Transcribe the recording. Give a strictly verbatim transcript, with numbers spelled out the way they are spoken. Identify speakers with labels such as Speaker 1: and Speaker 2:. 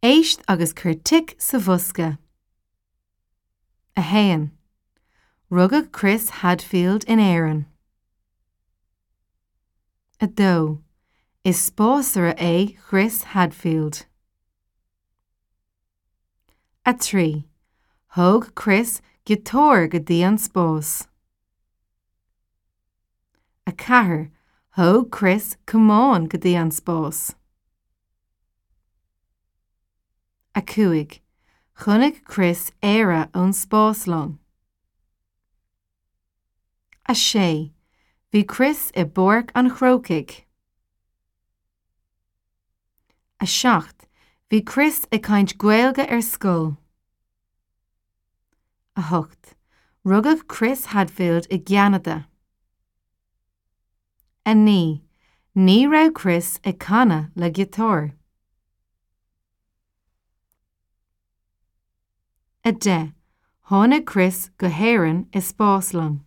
Speaker 1: Éist agus cuir tic sa bhosca. A haon. Rugadh Chris Hadfield in Éirinn. A dó. Is spásaire é Chris Hadfield. A trí. Thóg Chris giotár go dtí an spás. A ceathair. Thóg Chris camán go dtí an spás. A cúig. Chonaic Chris Éire ón spáslong. A sé. Bhí Chris i bPáirc an Chrócaigh. A seacht. Bhí Chris ag caint Gaeilge ar scoil. A hocht. Rugadh Chris Hadfield i gCeanada. A naoi. Ní raibh Chris ag canadh le giotár. A deich. Tháinig Chris go hÉirinn i spáslong.